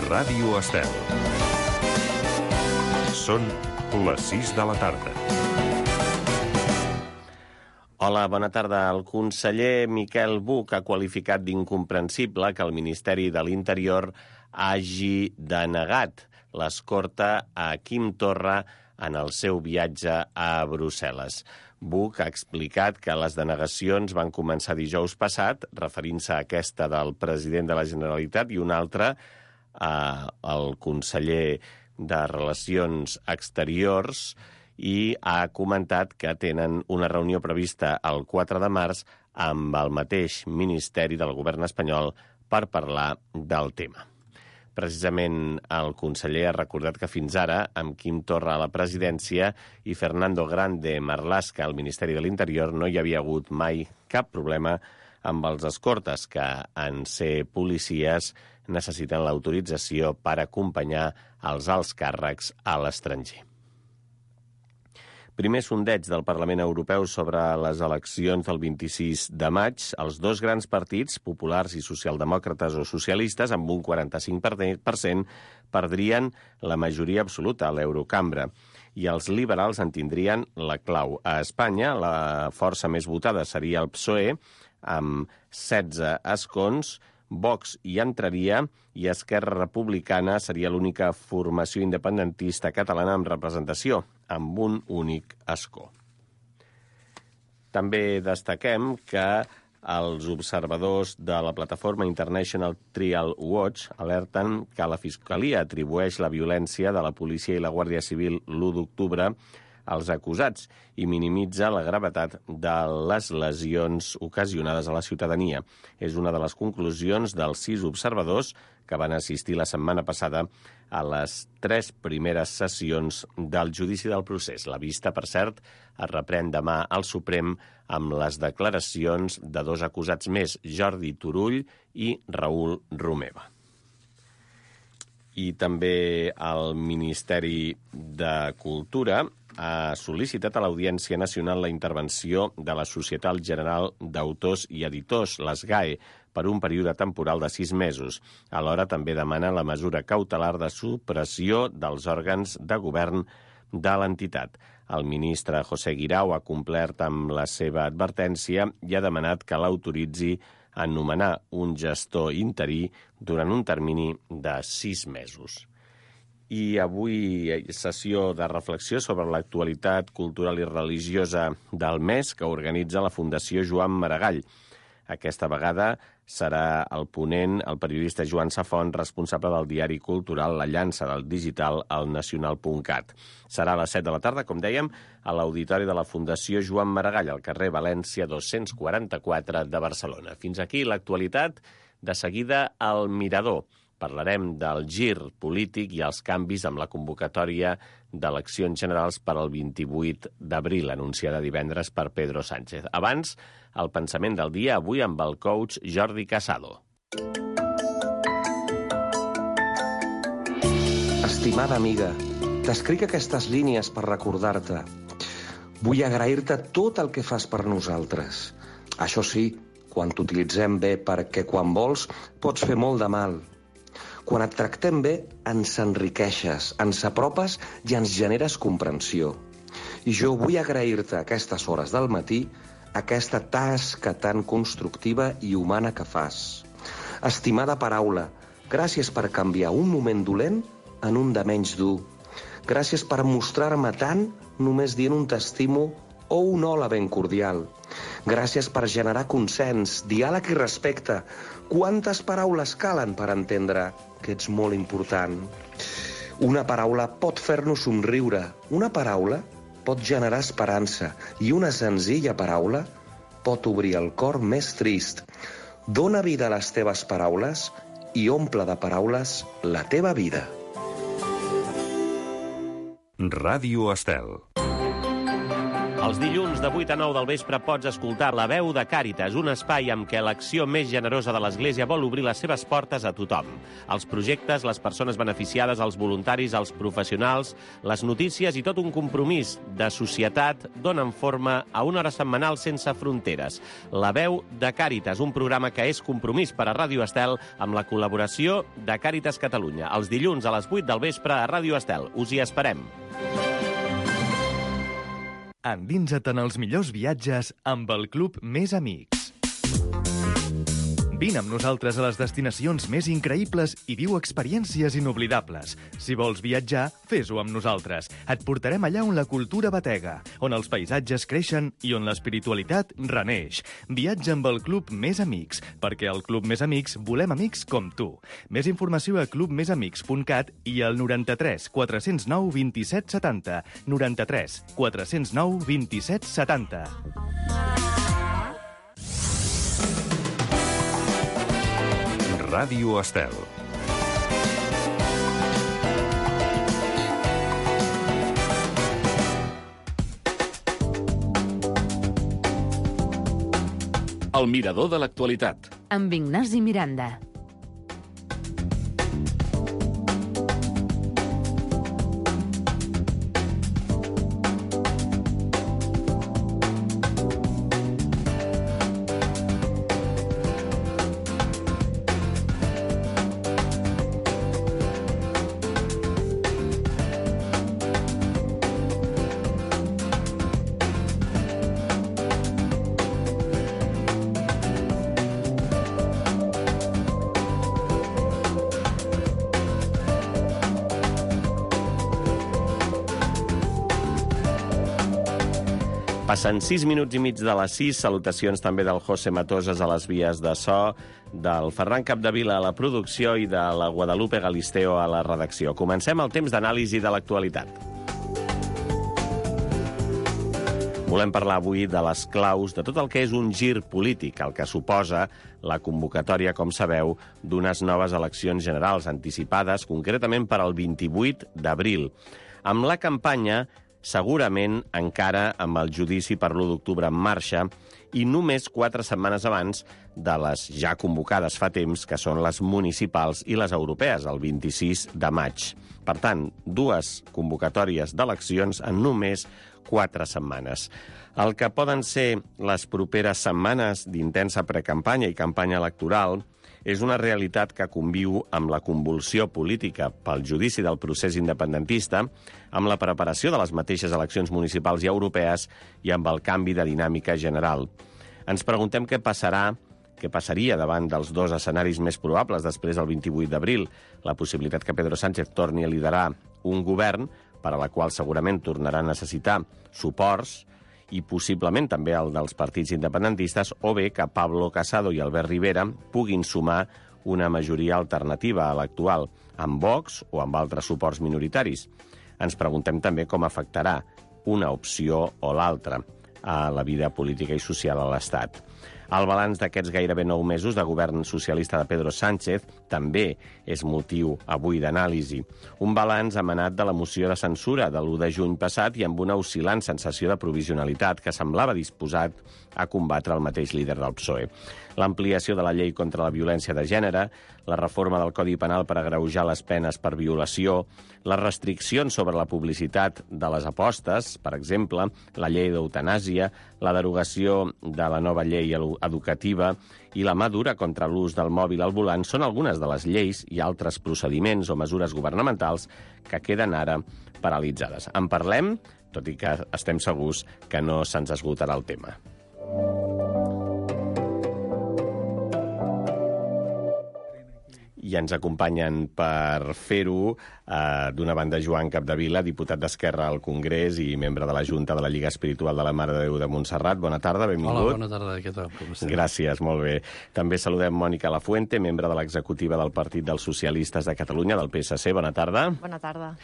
Ràdio Estel. Són les 6 de la tarda. Hola, bona tarda. El conseller Miquel Buch ha qualificat d'incomprensible que el Ministeri de l'Interior hagi denegat l'escorta a Quim Torra en el seu viatge a Brussel·les. Buch ha explicat que les denegacions van començar dijous passat, referint-se a aquesta del president de la Generalitat i una altra al conseller de Relacions Exteriors, i ha comentat que tenen una reunió prevista el 4 de març amb el mateix Ministeri del Govern espanyol per parlar del tema. Precisament el conseller ha recordat que fins ara, amb Quim Torra a la presidència i Fernando Grande Marlaska al Ministeri de l'Interior, no hi havia hagut mai cap problema amb els escortes, que en ser policies necessiten l'autorització per acompanyar els alts càrrecs a l'estranger. Primer sondeig del Parlament Europeu sobre les eleccions del 26 de maig. Els dos grans partits, populars i socialdemòcrates o socialistes, amb un 45%, perdrien la majoria absoluta a l'Eurocambra i els liberals en tindrien la clau. A Espanya, la força més votada seria el PSOE, amb 16 escons. Vox hi entraria i Esquerra Republicana seria l'única formació independentista catalana amb representació, amb un únic escó. També destaquem que els observadors de la plataforma International Trial Watch alerten que la Fiscalia atribueix la violència de la policia i la Guàrdia Civil l'1 d'octubre als acusats i minimitza la gravetat de les lesions ocasionades a la ciutadania. És una de les conclusions dels 6 observadors que van assistir la setmana passada a les 3 primeres sessions del judici del procés. La vista, per cert, es reprèn demà al Suprem amb les declaracions de 2 acusats més, Jordi Turull i Raül Romeva. I també el Ministeri de Cultura ha sol·licitat a l'Audiència Nacional la intervenció de la Societat General d'Autors i Editors, les GAE, per un període temporal de 6 mesos. Alhora també demana la mesura cautelar de supressió dels òrgans de govern de l'entitat. El ministre José Guirao ha complert amb la seva advertència i ha demanat que l'autoritzi a nomenar un gestor interí durant un termini de 6 mesos. I avui sessió de reflexió sobre l'actualitat cultural i religiosa del mes que organitza la Fundació Joan Maragall. Aquesta vegada serà el ponent, el periodista Joan Safont, responsable del diari cultural La Llança del Digital al nacional.cat. Serà a les 7 de la tarda, com dèiem, a l'auditori de la Fundació Joan Maragall, al carrer València 244 de Barcelona. Fins aquí l'actualitat. De seguida, al Mirador. Parlarem del gir polític i els canvis amb la convocatòria d'eleccions generals per al 28 d'abril, anunciada divendres per Pedro Sánchez. Abans, el pensament del dia, avui amb el coach Jordi Casado. Estimada amiga, t'escric aquestes línies per recordar-te. Vull agrair-te tot el que fas per nosaltres. Això sí, quan t'utilitzem bé, perquè quan vols pots fer molt de mal. Quan et tractem bé, ens enriqueixes, ens apropes i ens generes comprensió. I jo vull agrair-te a aquestes hores del matí aquesta tasca tan constructiva i humana que fas. Estimada paraula, gràcies per canviar un moment dolent en un de menys dur. Gràcies per mostrar-me tant només dient un t'estimo o un hola ben cordial. Gràcies per generar consens, diàleg i respecte. Quantes paraules calen per entendre que ets molt important? Una paraula pot fer-nos somriure, una paraula pot generar esperança i una senzilla paraula pot obrir el cor més trist. Dóna vida a les teves paraules i omple de paraules la teva vida. Ràdio Estel. Els dilluns de 8 a 9 del vespre pots escoltar La Veu de Càritas, un espai amb què l'acció més generosa de l'Església vol obrir les seves portes a tothom. Els projectes, les persones beneficiades, els voluntaris, els professionals, les notícies i tot un compromís de societat donen forma a una hora setmanal sense fronteres. La Veu de Càritas, un programa que és compromís per a Ràdio Estel amb la col·laboració de Càritas Catalunya. Els dilluns a les 8 del vespre a Ràdio Estel. Us hi esperem. Endinsa't en els millors viatges amb el Club Més Amics. Vine amb nosaltres a les destinacions més increïbles i viu experiències inoblidables. Si vols viatjar, fes-ho amb nosaltres. Et portarem allà on la cultura batega, on els paisatges creixen i on l'espiritualitat reneix. Viatja amb el Club Més Amics, perquè al Club Més Amics volem amics com tu. Més informació a clubmesamics.cat i al 93 409 27 70. 93 409 27 70. Ràdio Estel. El mirador de l'actualitat. Amb Ignasi Miranda. Passen 6 minuts i mig de les 6. Salutacions també del José Matosas a les vies de so, del Ferran Capdevila a la producció i de la Guadalupe Galisteo a la redacció. Comencem el temps d'anàlisi de l'actualitat. Volem parlar avui de les claus de tot el que és un gir polític, el que suposa la convocatòria, com sabeu, d'unes noves eleccions generals anticipades, concretament per al 28 d'abril. Amb la campanya segurament encara amb el judici per l'1 d'octubre en marxa i només 4 setmanes abans de les ja convocades fa temps, que són les municipals i les europees, el 26 de maig. Per tant, 2 convocatòries d'eleccions en només 4 setmanes. El que poden ser les properes setmanes d'intensa precampanya i campanya electoral és una realitat que conviu amb la convulsió política pel judici del procés independentista, amb la preparació de les mateixes eleccions municipals i europees i amb el canvi de dinàmica general. Ens preguntem què passaria davant dels 2 escenaris més probables després del 28 d'abril, la possibilitat que Pedro Sánchez torni a liderar un govern, per a la qual segurament tornarà a necessitar suports, i possiblement també el dels partits independentistes, o bé que Pablo Casado i Albert Rivera puguin sumar una majoria alternativa a l'actual, amb Vox o amb altres suports minoritaris. Ens preguntem també com afectarà una opció o l'altra a la vida política i social a l'Estat. El balanç d'aquests gairebé 9 mesos de govern socialista de Pedro Sánchez també és motiu avui d'anàlisi. Un balanç emanat de la moció de censura de l'1 de juny passat i amb una oscil·lant sensació de provisionalitat que semblava disposat a combatre el mateix líder del PSOE. L'ampliació de la llei contra la violència de gènere, la reforma del Codi Penal per agreujar les penes per violació, les restriccions sobre la publicitat de les apostes, per exemple, la llei d'eutanàsia, la derogació de la nova llei educativa i la mà dura contra l'ús del mòbil al volant són algunes de les lleis i altres procediments o mesures governamentals que queden ara paralitzades. En parlem, tot i que estem segurs que no se'ns esgotarà el tema. I ens acompanyen per fer-ho, d'una banda, Joan Capdevila, diputat d'Esquerra al Congrés i membre de la Junta de la Lliga Espiritual de la Mare de Déu de Montserrat. Bona tarda, benvingut. Hola, bona tarda, què tal? Gràcies, molt bé. També saludem Mònica Lafuente, membre de l'executiva del Partit dels Socialistes de Catalunya, del PSC. Bona tarda. Bona tarda.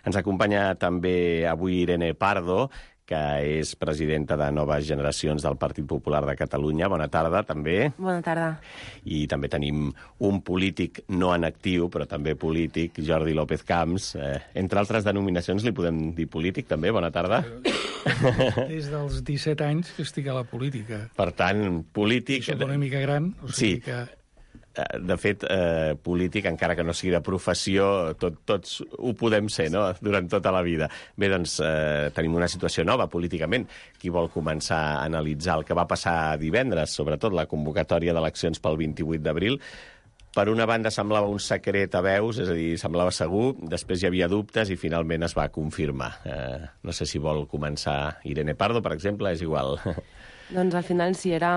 Ens acompanya també avui Irene Pardo, que és presidenta de Noves Generacions del Partit Popular de Catalunya. Bona tarda, també. Bona tarda. I també tenim un polític no en actiu, però també polític, Jordi López Camps. Entre altres denominacions li podem dir polític, també. Bona tarda. Des dels 17 anys que estic a la política. Per tant, polític... Soc una mica gran, o sigui que... De fet, polític, encara que no sigui de professió, tots ho podem ser, no?, durant tota la vida. Bé, doncs, tenim una situació nova políticament. Qui vol començar a analitzar el que va passar divendres, sobretot la convocatòria d'eleccions pel 28 d'abril? Per una banda semblava un secret a veus, és a dir, semblava segur, després hi havia dubtes i finalment es va confirmar. No sé si vol començar Irene Pardo, per exemple, és igual. Doncs al final sí, era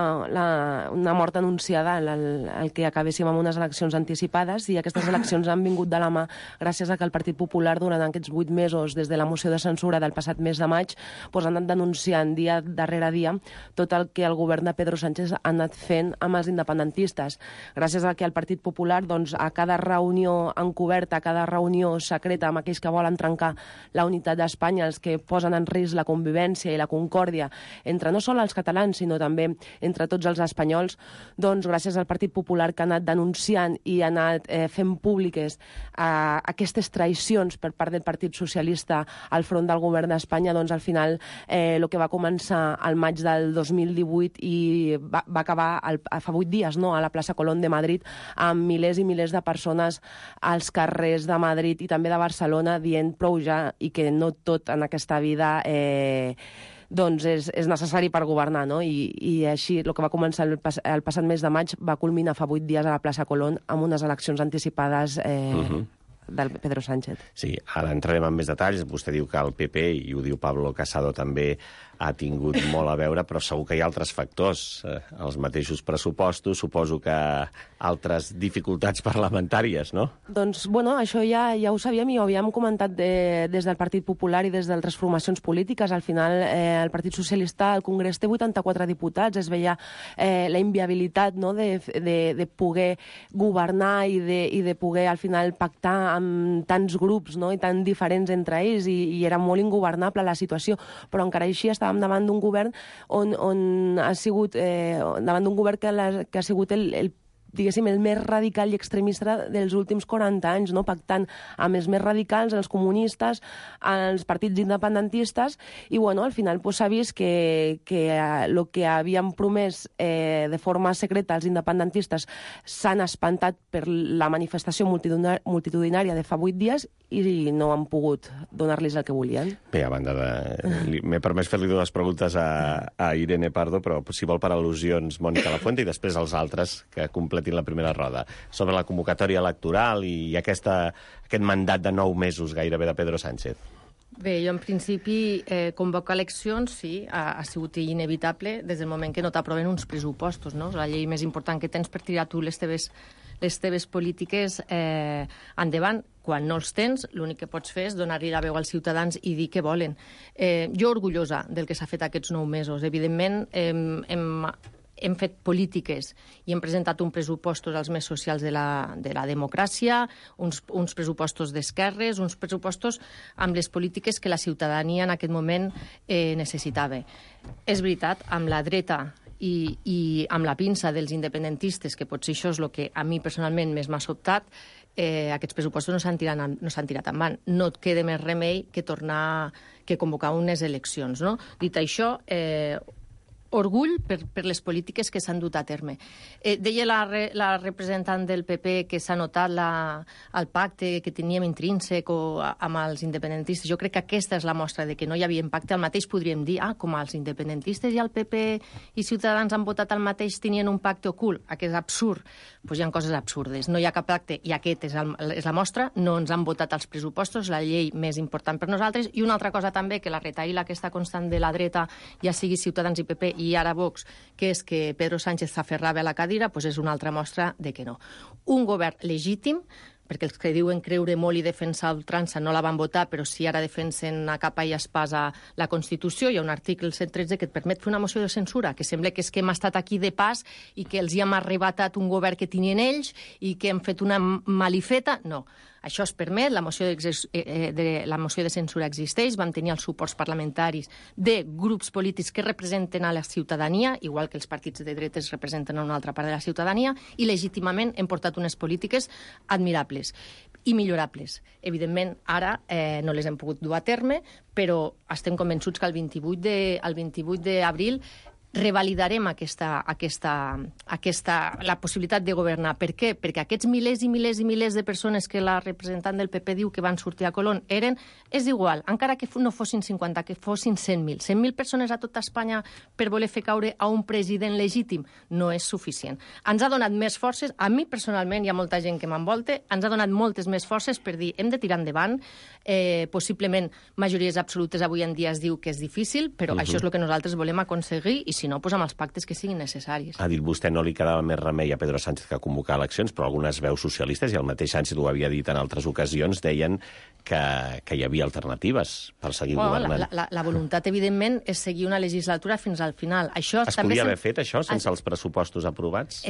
una mort anunciada el que acabéssim amb unes eleccions anticipades, i aquestes eleccions han vingut de la mà gràcies a que el Partit Popular durant aquests 8 mesos, des de la moció de censura del passat mes de maig, doncs han anat denunciant dia darrere dia tot el que el govern de Pedro Sánchez ha anat fent amb els independentistes. Gràcies a que el Partit Popular, doncs, a cada reunió encoberta, a cada reunió secreta amb aquells que volen trencar la unitat d'Espanya, els que posen en risc la convivència i la concòrdia entre no sols els catalans, sinó també entre tots els espanyols, doncs gràcies al Partit Popular, que ha anat denunciant i ha anat fent públiques aquestes traïcions per part del Partit Socialista al front del govern d'Espanya, doncs al final el que va començar al maig del 2018 i va acabar fa 8 dies, no?, a la plaça Colón de Madrid, amb milers i milers de persones als carrers de Madrid i també de Barcelona dient prou ja, i que no tot en aquesta vida doncs és necessari per governar, no? I així, el que va començar el passat mes de maig va culminar fa 8 dies a la plaça Colón amb unes eleccions anticipades del Pedro Sánchez. Sí, ara entrarem en més detalls. Vostè diu que el PP, i ho diu Pablo Casado també, ha tingut molt a veure, però segur que hi ha altres factors. Els mateixos pressupostos, suposo que altres dificultats parlamentàries, no? Doncs, bueno, això ja ho sabíem i ho havíem comentat des del Partit Popular i des d'altres formacions polítiques. Al final, el Partit Socialista al Congrés té 84 diputats. Es veia la inviabilitat, no?, de poder governar i de poder, al final, pactar amb tants grups, no?, i tan diferents entre ells, i era molt ingovernable la situació. Però encara així estàvem davant d'un govern on ha sigut davant d'un govern que ha sigut diguéssim, el més radical i extremista dels últims 40 anys, no?, pactant amb els més radicals, els comunistes, els partits independentistes, i bueno, al final s'ha vist que el que havien promès de forma secreta els independentistes s'han espantat per la manifestació multitudinària de fa 8 dies i no han pogut donar-los el que volien. Bé, a banda de... M'he permès fer-li 2 preguntes a Irene Pardo, però si vol per al·lusions Mònica Lafuente i després els altres que completin la primera roda. Sobre la convocatòria electoral i aquest mandat de 9 mesos gairebé de Pedro Sánchez. Bé, jo en principi convocar eleccions sí, ha sigut inevitable des del moment que no t'aproven uns pressupostos, no? La llei més important que tens per tirar tu les teves polítiques endavant. Quan no els tens, l'únic que pots fer és donar-li la veu als ciutadans i dir què volen. Jo orgullosa del que s'ha fet aquests 9 mesos. Evidentment, hem fet polítiques i hem presentat uns pressupostos als més socials de la democràcia, uns pressupostos d'esquerres, uns pressupostos amb les polítiques que la ciutadania en aquest moment necessitava. És veritat, amb la dreta i amb la pinça dels independentistes, que potser això és el que a mi personalment més m'ha sobtat, aquests pressupostos no s'han tirat endavant. No et queda més remei que convocar unes eleccions, no? Dit això, orgull per les polítiques que s'han dut a terme. Deia la representant del PP que s'ha notat el pacte que teníem intrínsec amb els independentistes. Jo crec que aquesta és la mostra de que no hi havia pacte. El mateix podríem dir, com els independentistes i el PP i Ciutadans han votat el mateix, tenien un pacte ocult. Aquest és absurd. Doncs hi ha coses absurdes. No hi ha cap pacte i aquest és la mostra. No ens han votat els pressupostos, la llei més important per nosaltres. I una altra cosa també, que la retaïla aquesta constant de la dreta, ja sigui Ciutadans i PP i ara Vox, que és que Pedro Sánchez s'aferrava a la cadira, doncs és una altra mostra de que no. Un govern legítim, perquè els que diuen creure molt i defensar ultrança no la van votar, però si ara defensen a capa i espasa la Constitució, hi ha un article 113 que et permet fer una moció de censura, que sembla que és que hem estat aquí de pas i que els hi hem arrebatat un govern que tenien ells i que hem fet una malifeta. No. Això es permet, la moció de censura existeix, vam tenir els suports parlamentaris de grups polítics que representen a la ciutadania, igual que els partits de dretes representen a una altra part de la ciutadania, i legítimament hem portat unes polítiques admirables. i millorables. Evidentment, ara no les hem pogut dur a terme, però estem convençuts que el 28 d'abril revalidarem la possibilitat de governar. Per què? Perquè aquests milers i milers i milers de persones que la representant del PP diu que van sortir a Colón és igual, encara que no fossin 50, que fossin 100.000. 100.000 persones a tota Espanya per voler fer caure a un president legítim no és suficient. Ens ha donat més forces, a mi personalment, hi ha molta gent que m'envolta, ens ha donat moltes més forces per dir hem de tirar endavant, possiblement majories absolutes avui en dia es diu que és difícil, però això és el que nosaltres volem aconseguir i si no, doncs amb els pactes que siguin necessaris. Ha dit vostè no li quedava més remei a Pedro Sánchez que convocar eleccions, però algunes veus socialistes, i el mateix Sánchez ho havia dit en altres ocasions, deien que hi havia alternatives per seguir governant. La voluntat, evidentment, és seguir una legislatura fins al final. Això es podia haver fet, això, sense els pressupostos aprovats?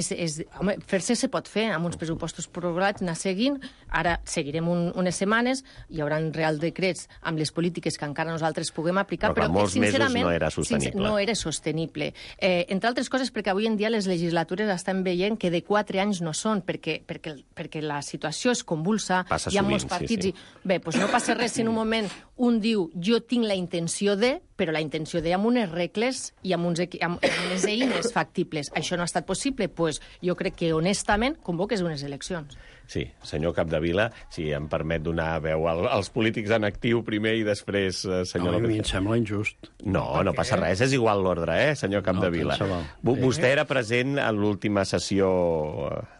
Home, fer-se se pot fer amb uns pressupostos aprovats, anar seguint. Ara seguirem unes setmanes, hi haurà real decrets amb les polítiques que encara nosaltres puguem aplicar, però molts mesos no era sostenible. No era sostenible. Entre altres coses, perquè avui en dia les legislatures estan veient que de 4 anys no són, perquè la situació és convulsa, hi ha molts partits. Bé, doncs no passa res si en un moment un diu jo tinc la intenció de, però la intenció de amb unes regles i amb unes eines factibles. Això no ha estat possible, doncs jo crec que honestament convoques unes eleccions. Sí, senyor Capdevila, si em permet donar veu als polítics en actiu primer i després, senyor López. A mi em sembla injust. No passa res, és igual l'ordre, senyor Capdevila. Vostè era present en l'última sessió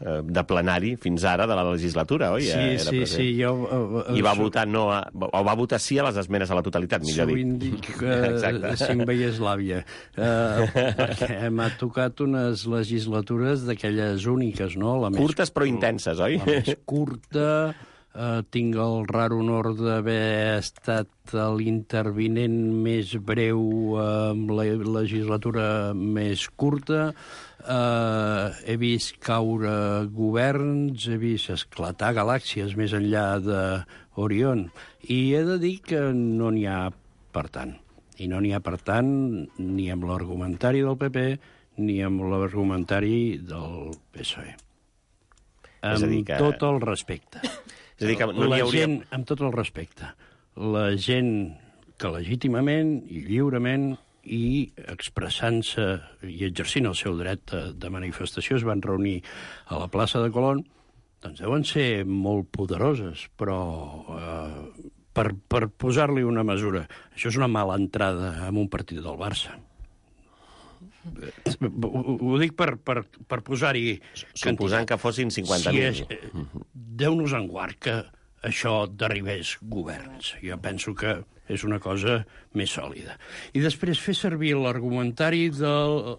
de plenari fins ara de la legislatura, oi? Sí, jo... I va votar va votar sí a les esmenes a la totalitat, millor dit. Sovint dic que si em veiés l'àvia, perquè m'ha tocat unes legislatures d'aquelles úniques, no? Curtes però intenses, oi? La més curta, tinc el rar honor d'haver estat l'intervinent més breu amb la legislatura més curta, he vist caure governs, he vist esclatar galàxies més enllà d'Orion, i he de dir que no n'hi ha per tant. I no n'hi ha per tant ni amb l'argumentari del PP ni amb l'argumentari del PSOE. Amb tot el respecte. És a dir, que no n'hi hauria... Amb tot el respecte. La gent que legítimament i lliurement i expressant-se i exercint el seu dret de manifestació es van reunir a la plaça de Colón, doncs deuen ser molt poderoses, però per posar-li una mesura, això és una mala entrada en un partit del Barça. Ho dic per posar-hi... Suposant que fossin 50.000. Déu-nos en guard que això derribés governs. Jo penso que és una cosa més sòlida. I després fer servir l'argumentari jo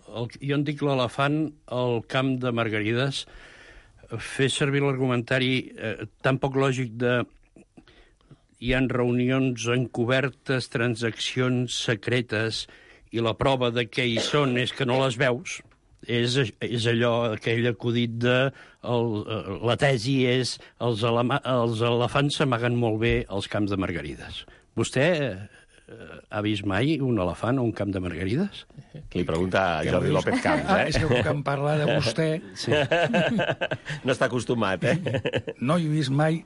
en dic l'elefant al camp de Margarides, fer servir l'argumentari tan poc lògic de hi ha reunions encobertes, transaccions secretes, i la prova de què hi són és que no les veus, és allò, aquell acudit de... la tesi és els elefants s'amaguen molt bé als camps de Margarides. Vostè ha vist mai un elefant a un camp de Margarides? Li pregunta a Jordi López Camps, És que em parla de vostè... Sí. No està acostumat, No he vist mai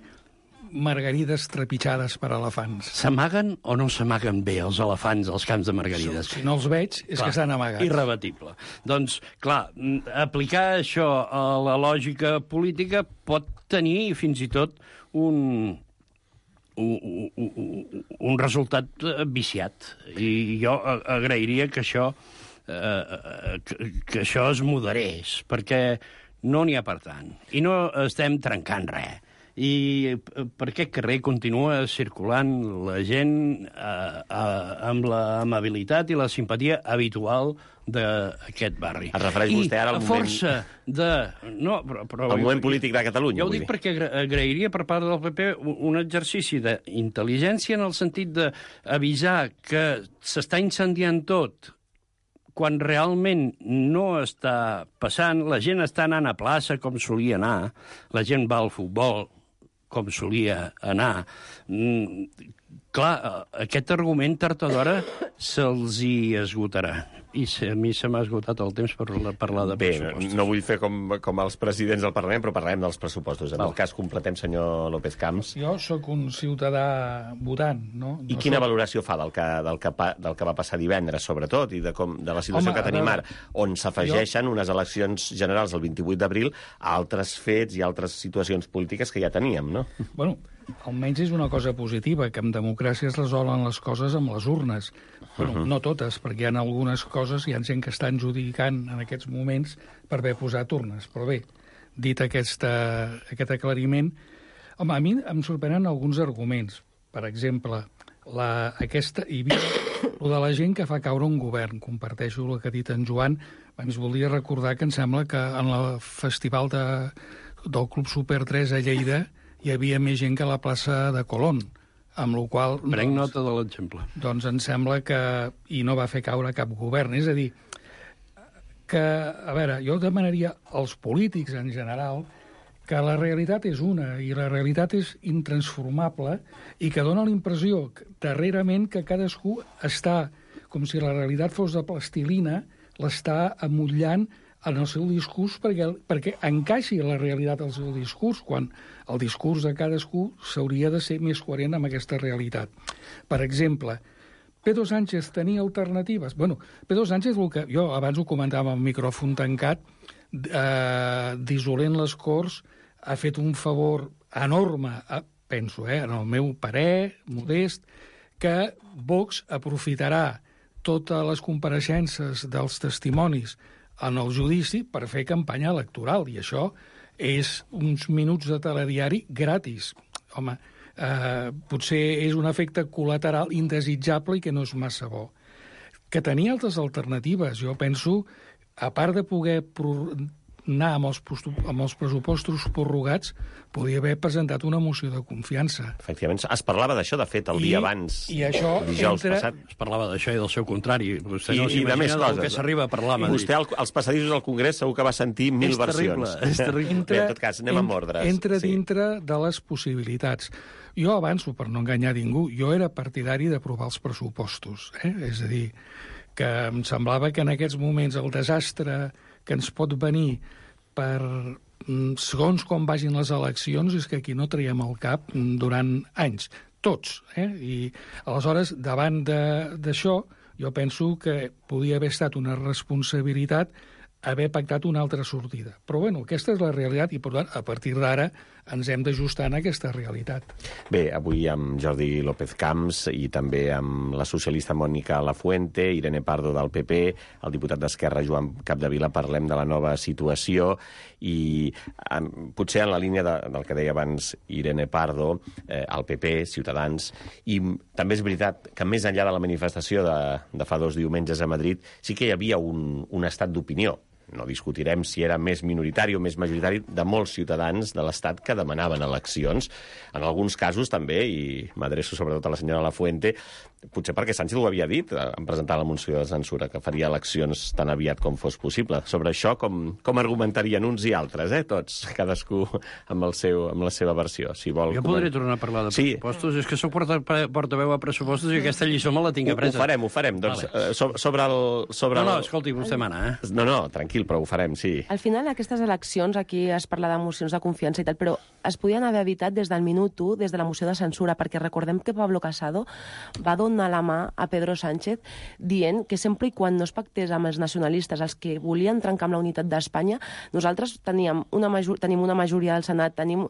margarides trepitjades per elefants. S'amaguen o no s'amaguen bé els elefants als camps de Margarides? Si no els veig, és que estan amagats. Irrebatible. Doncs, clar, aplicar això a la lògica política pot tenir fins i tot un resultat viciat. I jo agrairia que això es moderés, perquè no n'hi ha per tant. I no estem trencant res. I per aquest carrer continua circulant la gent amb l'amabilitat i la simpatia habitual d'aquest barri. Es refereix vostè ara al moment... força de... No, però el moment polític de Catalunya. Jo ho dic perquè agrairia per part del PP un exercici d'intel·ligència en el sentit d'avisar que s'està incendiant tot quan realment no està passant, la gent està anant a plaça com solia anar, la gent va al futbol com solia anar, Clar, aquest argument tard o d'hora se'ls hi esgotarà. I a mi se m'ha esgotat el temps per parlar de pressupostos. Bé, no vull fer com els presidents del Parlament, però parlem dels pressupostos. En el cas, completem, senyor López Camps. Jo sóc un ciutadà votant, no? I quina valoració fa del que va passar divendres, sobretot, i de la situació que tenim ara, on s'afegeixen unes eleccions generals el 28 d'abril a altres fets i altres situacions polítiques que ja teníem, no? Bueno, almenys és una cosa positiva, que en democràcia es resolen les coses amb les urnes. Bueno, no totes, perquè hi ha algunes coses, hi ha gent que estan judicant en aquests moments per haver posat urnes. Però bé, dit aquest aclariment, home, a mi em sorprenen alguns arguments. Per exemple, hi havia el de la gent que fa caure un govern. Comparteixo el que ha dit en Joan. Ens voldria recordar que em sembla que en el festival del Club Super 3 a Lleida hi havia més gent que a la plaça de Colón, amb la qual cosa... Prenc nota de l'exemple. Doncs em sembla que... I no va fer caure cap govern. És a dir, que, a veure, jo demanaria als polítics en general que la realitat és una i la realitat és intransformable i que dona la impressió darrerament que cadascú està, com si la realitat fos de plastilina, l'està amollant en el seu discurs perquè encaixi la realitat al seu discurs, quan el discurs de cadascú s'hauria de ser més coherent amb aquesta realitat. Per exemple, Pedro Sánchez tenia alternatives? Bueno, Pedro Sánchez, jo abans ho comentava amb el micròfon tancat, dissolent les Corts, ha fet un favor enorme, penso, en el meu parer, modest, que Vox aprofitarà totes les compareixences dels testimonis en el judici per fer campanya electoral, i això és uns minuts de telediari gratis. Home, potser és un efecte col·lateral indesitjable i que no és massa bo. Que tenia altres alternatives. Jo penso, a part de poder anar amb els pressupostos prorrogats, podia haver presentat una moció de confiança. Efectivament, es parlava d'això, de fet, el dia abans, i això dijous passat. Es parlava d'això i del seu contrari. Vostè no I de més s'imagina coses. que s'arriba a parlar a Madrid. Vostè als passadissos del Congrés segur que va sentir 1000 versions. És terrible. Bé, en tot cas, anem amb ordres. Entra dintre de les possibilitats. Jo avanço, per no enganyar ningú, jo era partidari d'aprovar els pressupostos. És a dir, que em semblava que en aquests moments el desastre que ens pot venir per segons com vagin les eleccions és que aquí no traiem el cap durant anys, tots. I aleshores, davant d'això, jo penso que podia haver estat una responsabilitat haver pactat una altra sortida. Però, bueno, aquesta és la realitat i, per tant, a partir d'ara ens hem d'ajustar en aquesta realitat. Bé, avui amb Jordi López Camps i també amb la socialista Mònica Lafuente, Irene Pardo del PP, el diputat d'Esquerra Joan Capdevila, parlem de la nova situació i potser en la línia del que deia abans Irene Pardo, el PP, Ciutadans, i també és veritat que més enllà de la manifestació de fa 2 diumenges a Madrid sí que hi havia un estat d'opinió. No discutirem si era més minoritari o més majoritari de molts ciutadans de l'Estat que demanaven eleccions. En alguns casos també, i m'adreço sobretot a la senyora Lafuente, potser perquè Sánchez ho havia dit en presentar la moció de censura, que faria eleccions tan aviat com fos possible. Sobre això, com argumentarien uns i altres, tots, cadascú amb la seva versió. Si vol, jo podré tornar a parlar de pressupostos. És que soc portaveu a pressupostos i aquesta lliçó me la tinc apresa. Ho farem. Doncs, vale. No, escolti, vostè mana, No, tranquil, però ho farem, sí. Al final, aquestes eleccions, aquí es parla de mocions de confiança i tal, però es podien haver evitat des del minut 1, des de la moció de censura, perquè recordem que Pablo Casado va donar la mà a Pedro Sánchez dient que sempre i quan no es pactés amb els nacionalistes, els que volien trencar amb la unitat d'Espanya, nosaltres tenim una majoria del Senat, tenim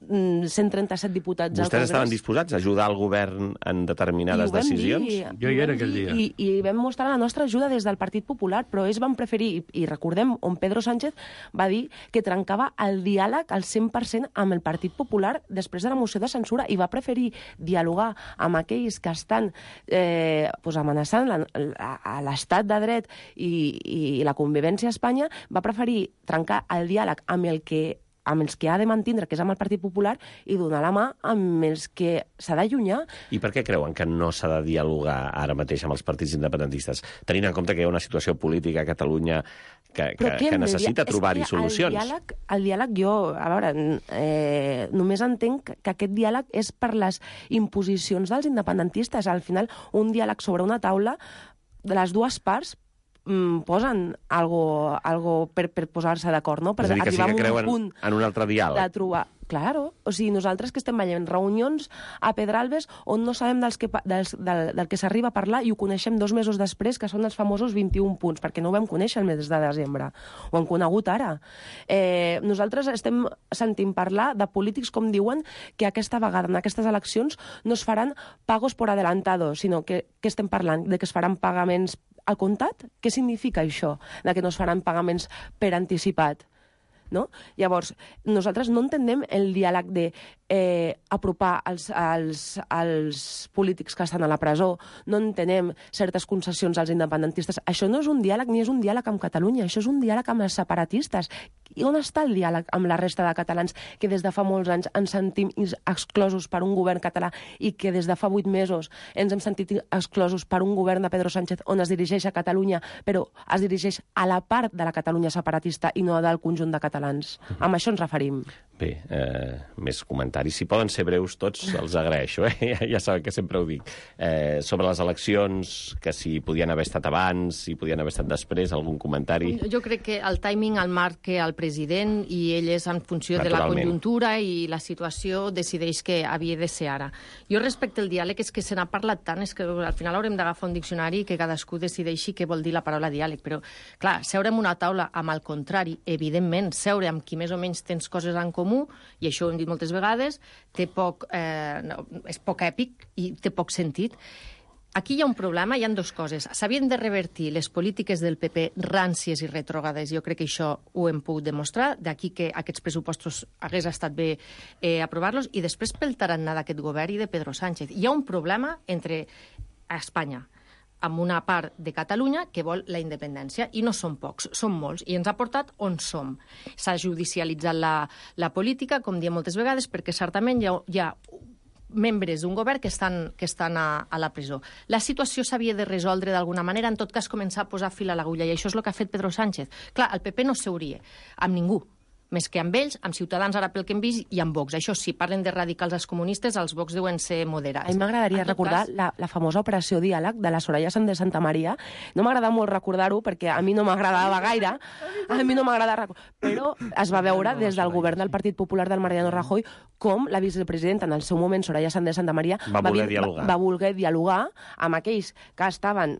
137 diputats al Congrés. Vostès estaven disposats a ajudar el govern en determinades decisions? Jo hi era aquell dia. I vam mostrar la nostra ajuda des del Partit Popular, però ells van preferir, i recordem on Pedro Sánchez va dir que trencava el diàleg al 100% amb el Partit Popular després de la moció de censura i va preferir dialogar amb aquells que estan amenaçant a l'estat de dret i la convivència a Espanya, va preferir trencar el diàleg amb els que ha de mantindre, que és amb el Partit Popular, i donar la mà amb els que s'ha d'allunyar. I per què creuen que no s'ha de dialogar ara mateix amb els partits independentistes? Tenint en compte que hi ha una situació política a Catalunya que necessita trobar-hi solucions. El diàleg jo, a veure, només entenc que aquest diàleg és per les imposicions dels independentistes. Al final, un diàleg sobre una taula, de les dues parts posen algo per posar-se d'acord, no? Per és a dir, que sí que creuen en un altre diàleg. De trobar... Claro, o sigui, nosaltres que estem veient reunions a Pedralbes on no sabem del que s'arriba a parlar i ho coneixem 2 mesos després, que són els famosos 21 punts, perquè no ho vam conèixer el mes de desembre. Ho han conegut ara. Nosaltres estem sentint parlar de polítics, com diuen, que aquesta vegada, en aquestes eleccions, no es faran pagos por adelantado, sinó que estem parlant de que es faran pagaments al comptat? Què significa això, de que no es faran pagaments per anticipat? No? Llavors, nosaltres no entenem el diàleg de apropar als polítics que estan a la presó, no entenem certes concessions als independentistes. Això no és un diàleg ni és un diàleg amb Catalunya, això és un diàleg amb els separatistes. I on està el diàleg amb la resta de catalans que des de fa molts anys ens sentim exclosos per un govern català i que des de fa 8 mesos ens hem sentit exclosos per un govern de Pedro Sánchez on es dirigeix a Catalunya, però es dirigeix a la part de la Catalunya separatista i no del conjunt de catalans. Amb això ens referim. Bé, més comentaris. Si poden ser breus tots, els agraeixo. Ja saben que sempre ho dic. Sobre les eleccions, que si podien haver estat abans, si podien haver estat després, algun comentari? Jo crec que el timing el marca el president i ell és en funció de la conjuntura i la situació decideix que havia de ser ara. Jo respecte al diàleg és que se n'ha parlat tant, és que al final haurem d'agafar un diccionari i que cadascú decideixi què vol dir la paraula diàleg. Però, clar, seure en una taula amb el contrari, evidentment, seure amb qui més o menys tens coses en comú, i això ho hem dit moltes vegades, és poc èpic i té poc sentit. Aquí hi ha un problema, hi ha 2 coses. S'havien de revertir les polítiques del PP ràncies i retrògrades, jo crec que això ho hem pogut demostrar, d'aquí que aquests pressupostos hagués estat bé aprovar-los, i després pel tarannà d'aquest govern i de Pedro Sánchez. Hi ha un problema entre Espanya, amb una part de Catalunya que vol la independència, i no són pocs, són molts, i ens ha portat on som. S'ha judicialitzat la política, com diem moltes vegades, perquè certament hi ha membres d'un govern que estan a la presó. La situació s'havia de resoldre d'alguna manera, en tot cas començar a posar fil a l'agulla, i això és el que ha fet Pedro Sánchez. Clar, el PP no seuria amb ningú, més que amb ells, amb Ciutadans, ara pel que hem vist, i amb Vox. Això sí, parlen de radicals als comunistes, els Vox deuen ser moderats. A mi m'agradaria recordar la famosa operació Diàleg de la Soraya Sáenz de Santamaría. No m'agrada molt recordar-ho, perquè a mi no m'agradava gaire, però es va veure des del govern del Partit Popular del Mariano Rajoy com la vicepresidenta, en el seu moment, Soraya Sáenz de Santamaría, va voler dialogar amb aquells que estaven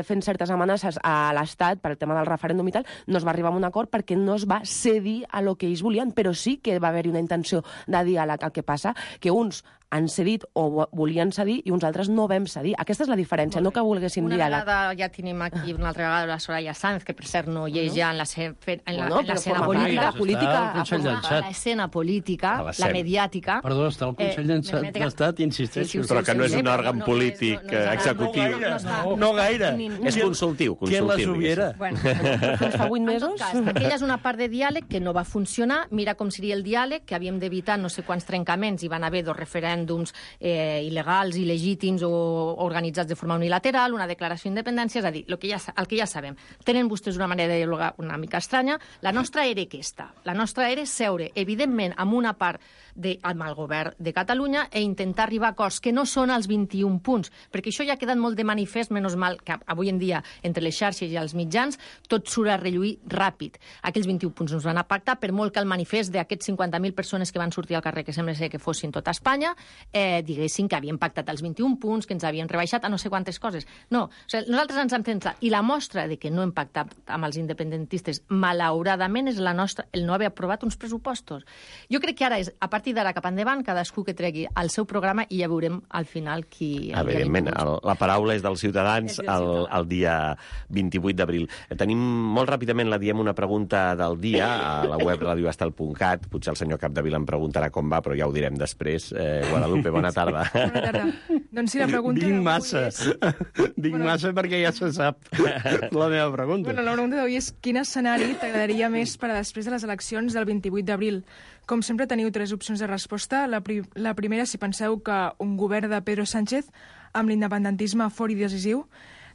fent certes amenaces a l'Estat per el tema del referèndum i tal. No es va arribar a un acord perquè no es va cedir a lo que ells volien, però sí que va haver-hi una intenció de diàleg. El que passa que uns han cedit o volien cedir i uns altres no vam cedir. Aquesta és la diferència, no que volguéssim diàleg. Una vegada ja tenim aquí una altra vegada la Soraya Sáenz, que per cert no hi és ja en l'escena política, la mediàtica. Perdó, està al Consell d'Estat, insisteixo. Però que no és un òrgan polític executiu. No gaire. És consultiu. Qui la subiera? Fins fa 8 mesos. Aquella és una part de diàleg que no va funcionar. Mira com seria el diàleg, que havíem d'evitar no sé quants trencaments, i van haver 2 referèndums il·legals, il·legítims o organitzats de forma unilateral, una declaració d'independència, és a dir, el que ja sabem. Tenen vostès una manera de dialogar una mica estranya. La nostra era aquesta. La nostra era seure, evidentment, amb una part amb el govern de Catalunya i intentar arribar a acords que no són els 21 punts, perquè això ja ha quedat molt de manifest, menys mal que avui en dia, entre les xarxes i els mitjans, tot surt a relluir ràpid. Aquells 21 punts no es van a pactar, per molt que el manifest d'aquests 50.000 persones que van sortir al carrer, que sembla ser que fossin tot Espanya, diguessin que havien pactat els 21 punts, que ens havien rebaixat a no sé quantes coses. No, nosaltres ens hem centrat, i la mostra de que no hem pactat amb els independentistes, malauradament, és el no haver aprovat uns pressupostos. Jo crec que ara és, a partir d'ara cap endavant, cadascú que tregui el seu programa i ja veurem al final qui... Evidentment, la paraula és dels ciutadans el dia 28 d'abril. Tenim molt ràpidament, la diem, una pregunta del dia a la web radioestel.cat. Potser el senyor Capdevila em preguntarà com va, però ja ho direm després. Guadalupe, bona tarda. Bona tarda. Doncs sí, la pregunta... Dic massa perquè ja se sap la meva pregunta. Bueno, la pregunta d'avui és quin escenari t'agradaria més per a després de les eleccions del 28 d'abril? Com sempre, teniu 3 opcions de resposta. La primera, si penseu que un govern de Pedro Sánchez amb l'independentisme fort i decisiu.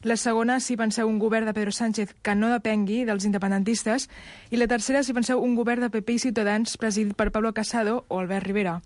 La segona, si penseu un govern de Pedro Sánchez que no depengui dels independentistes. I la tercera, si penseu un govern de PP i Ciutadans presidit per Pablo Casado o Albert Rivera.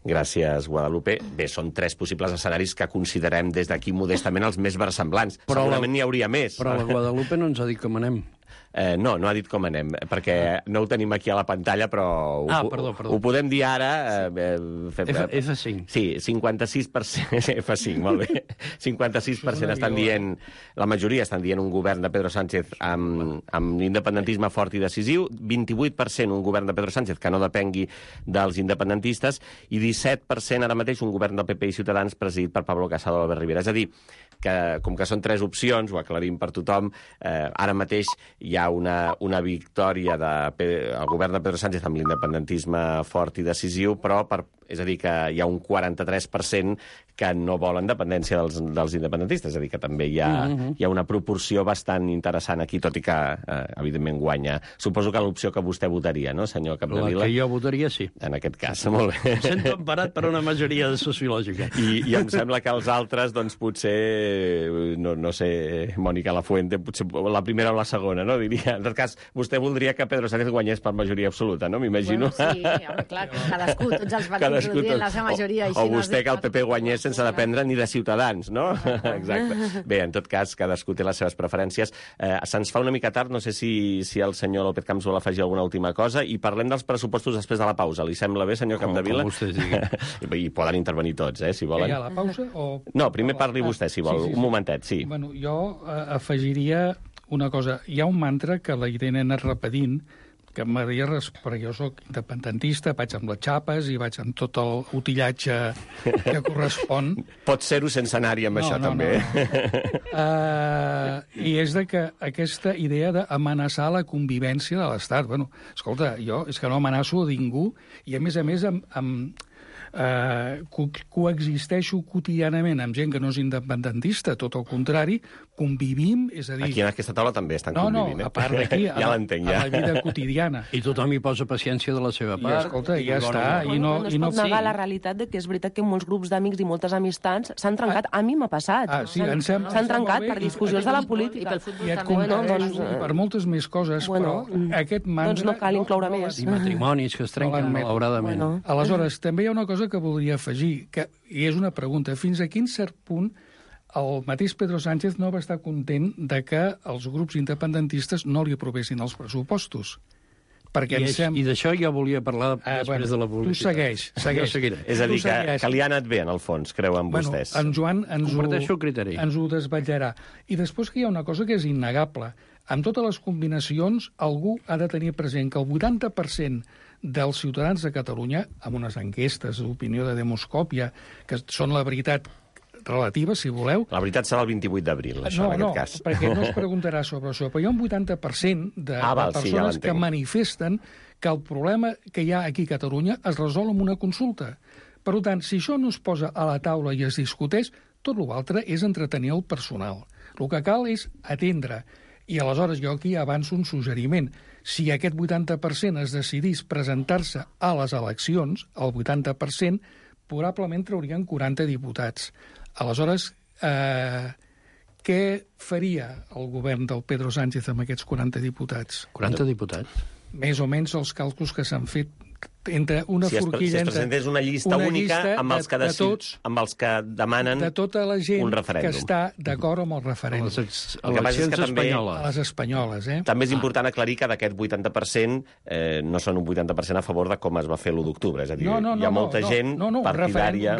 Gràcies, Guadalupe. Bé, són 3 possibles escenaris que considerem des d'aquí modestament els més versemblants. Però segurament n'hi hauria més. Però la Guadalupe no ens ha dit com anem. No ha dit com anem, perquè no ho tenim aquí a la pantalla, però perdó. Ho podem dir ara. F5. Sí, 56%, F5, molt bé. 56% estan dient, la majoria estan dient un govern de Pedro Sánchez amb independentisme fort i decisiu, 28% un govern de Pedro Sánchez que no depengui dels independentistes, i 17% ara mateix un govern del PP i Ciutadans presidit per Pablo Casado i Albert Rivera. És a dir, que com que són 3 opcions, ho aclarim per tothom, ara mateix hi ha una victòria del govern de Pedro Sánchez amb l'independentisme fort i decisiu, però és a dir, que hi ha un 43% que no volen dependència dels independentistes. És a dir, que també hi ha una proporció bastant interessant aquí, tot i que, evidentment, guanya. Suposo que l'opció que vostè votaria, no, senyor Capdevila? La que jo votaria, sí. En aquest cas, molt bé. Em sento emparat per una majoria sociològica. I em sembla que els altres, doncs, potser, no sé, Mònica Lafuente, potser la primera o la segona, no? Diria. En tot cas, vostè voldria que Pedro Sánchez guanyés per majoria absoluta, no? M'imagino. Bueno, sí, home, clar, cadascú, tots els partits dient la seva majoria. O vostè que el PP guanyés sense dependre ni de Ciutadans, no? Exacte. Bé, en tot cas, cadascú té les seves preferències. Se'ns fa una mica tard, no sé si el senyor López Camps vol afegir alguna última cosa, i parlem dels pressupostos després de la pausa. Li sembla bé, senyor Capdevila? Com vostè digui. I poden intervenir tots, si volen. Hi ha la pausa? No, primer parli vostè, si vol. Un momentet, sí. Bueno, jo afegiria una cosa. Hi ha un mantra que la Irene ha anat repetint, que m'agradaria, perquè jo soc independentista, vaig amb les xapes i vaig amb tot el utillatge que correspon. Pot ser-ho sense anar-hi amb això, també. I és de que aquesta idea d'amenaçar la convivència de l'Estat. Bueno, escolta, jo és que no amenaço a ningú, i a més coexisteixo quotidianament amb gent que no és independentista, tot el contrari, convivim, és a dir... Aquí en aquesta taula també estan convivint. No, a part d'aquí, ja l'entenc, ja. A la vida quotidiana. I tothom hi posa paciència de la seva part. I escolta, ja està. No es pot negar la realitat de que és veritat que molts grups d'amics i moltes amistats s'han trencat. A mi m'ha passat. S'han trencat per discussions de la política. I pel futbol també. I per moltes més coses, però aquest mantra... Doncs no cal incloure més. I matrimonis que es trenquen malauradament. Aleshores, també hi ha una cosa que voldria afegir, i és una pregunta. Fins a quin cert punt el mateix Pedro Sánchez no va estar content de que els grups independentistes no li aprovessin els pressupostos? I d'això ja volia parlar després de la publicitat. Tu segueix. És a dir, que li ha anat bé, en el fons, creuen vostès. En Joan comparteixo el criteri. Ens ho desvetllarà. I després que hi ha una cosa que és innegable. Amb totes les combinacions, algú ha de tenir present que el 80% dels ciutadans de Catalunya, amb unes enquestes d'opinió de Demoscòpia, que són la veritat relativa, si voleu... La veritat serà el 28 d'abril, això, en aquest cas. No, perquè no es preguntarà sobre això, però hi ha un 80% de persones que manifesten que el problema que hi ha aquí a Catalunya es resol amb una consulta. Per tant, si això no es posa a la taula i es discuteix, tot l'altre és entretenir el personal. El que cal és atendre. I aleshores jo aquí avanço un suggeriment. Si aquest 80% es decidís presentar-se a les eleccions, el 80%, probablement traurien 40 diputats. Aleshores, què faria el govern del Pedro Sánchez amb aquests 40 diputats? 40 diputats? Més o menys els càlculs que s'han fet entre una forquilla... Si es presentés una llista única amb els que demanen de tota la gent un referèndum. Que està d'acord amb el referèndum. A les espanyoles. També és important aclarir que d'aquest 80% no són un 80% a favor de com es va fer l'1 d'octubre. És a dir, hi ha molta gent partidària...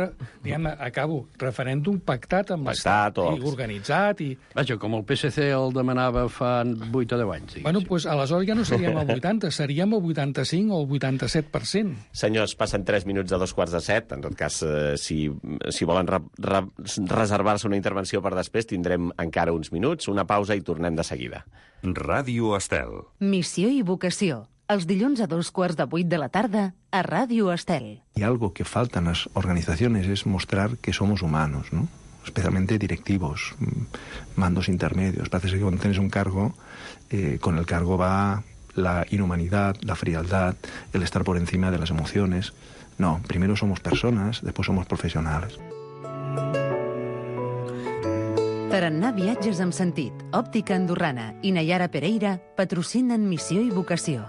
Acabo. Referèndum pactat amb l'Estat i organitzat. Vaja, com el PSC el demanava fa 8 o 10 anys. Bueno, doncs aleshores ja no seríem el 80, seríem el 85 o el 87%. Senyors, passen 3 minuts de 2:45. En tot cas, si volen reservar-se una intervenció per després, tindrem encara uns minuts, una pausa i tornem de seguida. Ràdio Estel. Missió i vocació. Els dilluns a 7:15 de la tarda a Ràdio Estel. Y algo que falta en las organizaciones es mostrar que somos humanos, ¿no? Especialmente directivos, mandos intermedios. Parece que cuando tienes un cargo, con el cargo va la inhumanidad, la frialdad, el estar por encima de las emociones. No, primero somos personas, después somos profesionales. Tarannà Viatges amb sentit, Òptica Andorrana i Nayara Pereira patrocinen Missió i Vocació.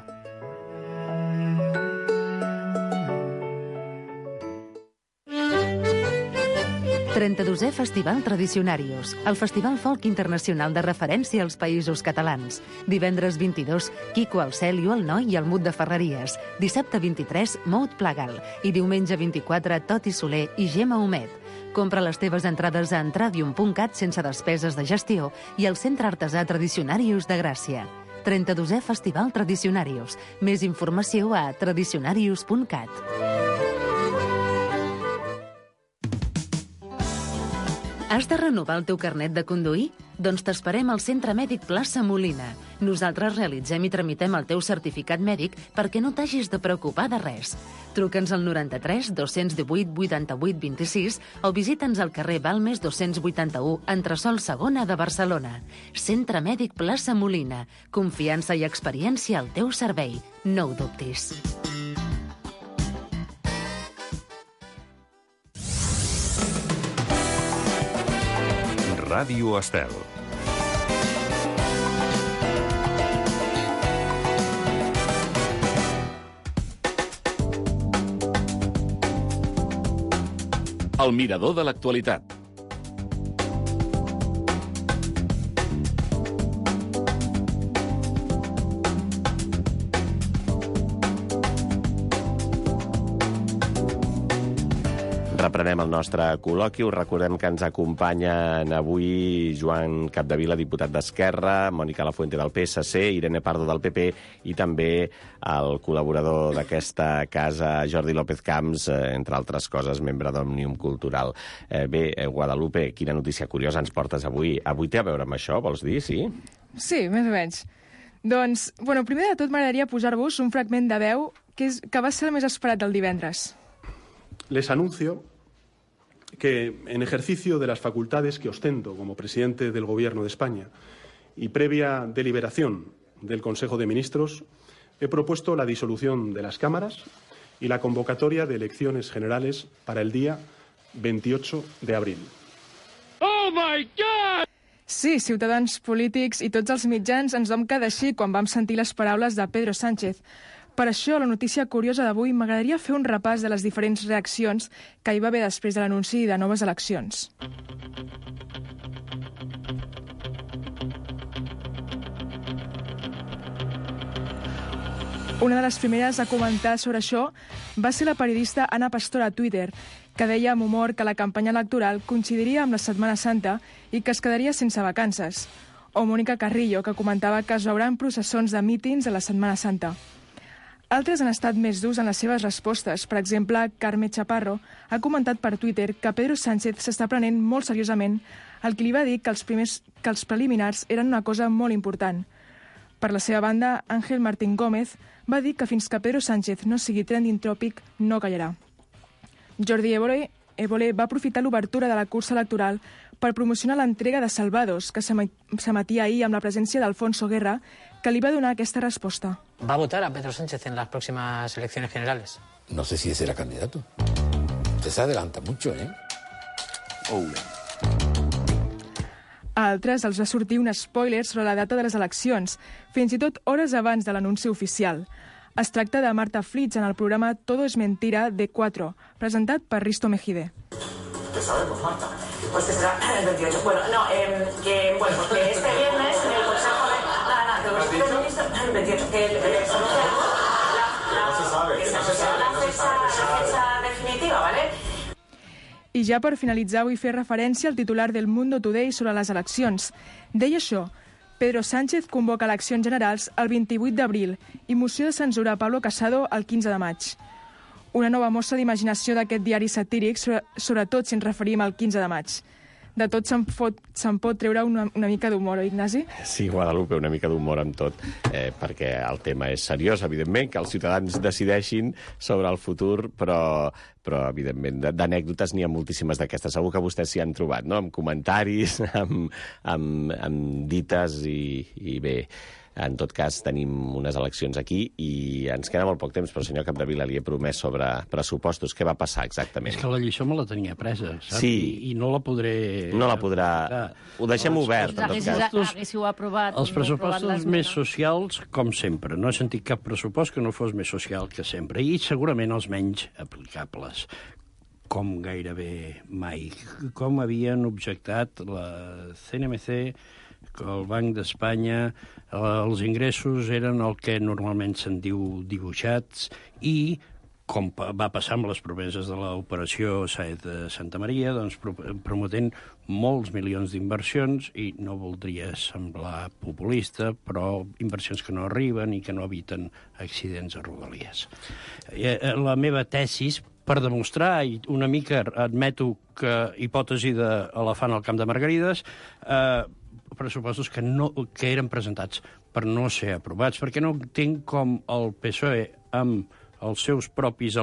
«32è Festival Tradicionarius, el festival folk internacional de referència als països catalans. Divendres 22, Quico al Cel i el Noi i el Mut de Ferreries. Dissabte 23, Mout Plagal. I diumenge 24, Toti Soler i Gemma Homet. Compra les teves entrades a entradium.cat sense despeses de gestió i al Centre Artesà Tradicionarius de Gràcia. 32è Festival Tradicionarius. Més informació a tradicionarius.cat. Has de renovar el teu carnet de conduir? Doncs t'esperem al Centre Mèdic Plaça Molina. Nosaltres realitzem i tramitem el teu certificat mèdic perquè no t'hagis de preocupar de res. Truca'ns al 93 218 88 26 o visita'ns al carrer Balmes 281, entresòl segona de Barcelona. Centre Mèdic Plaça Molina. Confiança i experiència al teu servei. No ho dubtis. Ràdio Estel. El mirador de l'actualitat. Reprenem el nostre col·loqui. Us recordem que ens acompanyen avui Joan Capdevila, diputat d'Esquerra, Mònica Lafuente del PSC, Irene Pardo del PP i també el col·laborador d'aquesta casa, Jordi López Camps, entre altres coses, membre d'Òmnium Cultural. Bé, Guadalupe, quina notícia curiosa ens portes avui? Avui té a veure amb això, vols dir, sí? Sí, més o menys. Doncs, primer de tot m'agradaria posar-vos un fragment de veu que va ser el més esperat del divendres. Les anuncio que, en ejercicio de las facultades que ostento como presidente del Gobierno de España y previa deliberación del Consejo de Ministros, he propuesto la disolución de las cámaras y la convocatoria de elecciones generales para el día 28 de abril. Oh my God! Sí, ciutadans, polítics i tots els mitjans ens vam quedar així quan vam sentir les paraules de Pedro Sánchez. Per això, la notícia curiosa d'avui, m'agradaria fer un repàs de les diferents reaccions que hi va haver després de l'anunci de noves eleccions. Una de les primeres a comentar sobre això va ser la periodista Ana Pastor a Twitter, que deia amb humor que la campanya electoral coincidiria amb la Setmana Santa i que es quedaria sense vacances. O Mònica Carrillo, que comentava que es veuran processons de mítings a la Setmana Santa. Altres han estat més durs en les seves respostes. Per exemple, Carme Chaparro ha comentat per Twitter que Pedro Sánchez s'està prenent molt seriosament el que li va dir que els preliminars eren una cosa molt important. Per la seva banda, Ángel Martín Gómez va dir que fins que Pedro Sánchez no sigui trending topic, no callarà. Jordi Évole va aprofitar l'obertura de la cursa electoral per promocionar l'entrega de Salvados, que s'emetia ahir amb la presència d'Alfonso Guerra, que li va donar aquesta resposta. ¿Va a votar a Pedro Sánchez en las próximas elecciones generales? No sé si será candidato. Usted se adelanta mucho, ¿eh? A altres els va sortir un spoiler sobre la data de les eleccions, fins i tot hores abans de l'anunci oficial. Es tracta de Marta Flitz en el programa Todo es Mentira de 4, presentat per Risto Mejide. ¿Qué sabemos, Marta? Pues que será el 28. Bueno, no, que este viernes en el Consejo de... el 28, que no se sabe, la fecha definitiva, ¿vale? I ja per finalitzar vull fer referència al titular del Mundo Today sobre les eleccions. Deia això: Pedro Sánchez convoca eleccions generals el 28 d'abril i moció de censura a Pablo Casado el 15 de maig. Una nova mostra d'imaginació d'aquest diari satíric, sobretot si ens referim al 15 de maig. De tot se'n pot treure una mica d'humor, oi, Ignasi? Sí, Guadalupe, una mica d'humor amb tot, perquè el tema és seriós, evidentment, que els ciutadans decideixin sobre el futur, però evidentment, d'anècdotes n'hi ha moltíssimes d'aquestes. Segur que vostès s'hi han trobat, no?, amb comentaris, amb dites i bé... En tot cas, tenim unes eleccions aquí i ens queda molt poc temps, però senyor Capdevila, li he promès sobre pressupostos. Què va passar exactament? És que la lliçó me la tenia presa, saps? Sí. I no la podré... No la podrà... Ho deixem obert, en tot cas. Haguéssiu aprovat... Els pressupostos més socials, com sempre. No he sentit cap pressupost que no fos més social que sempre. I segurament els menys aplicables, com gairebé mai. Com havien objectat la CNMC, el Banc d'Espanya, els ingressos eren el que normalment se'n diu dibuixats i, com va passar amb les promeses de l'operació Saet de Santa Maria, doncs prometent molts milions d'inversions i no voldria semblar populista, però inversions que no arriben i que no eviten accidents a Rodalies. La meva tesis, per demostrar, i una mica admeto que hipòtesi d'elefant al camp de Margarides, pressupostos que eren presentats per no ser aprovats, perquè no entenc com el PSOE, amb els seus propis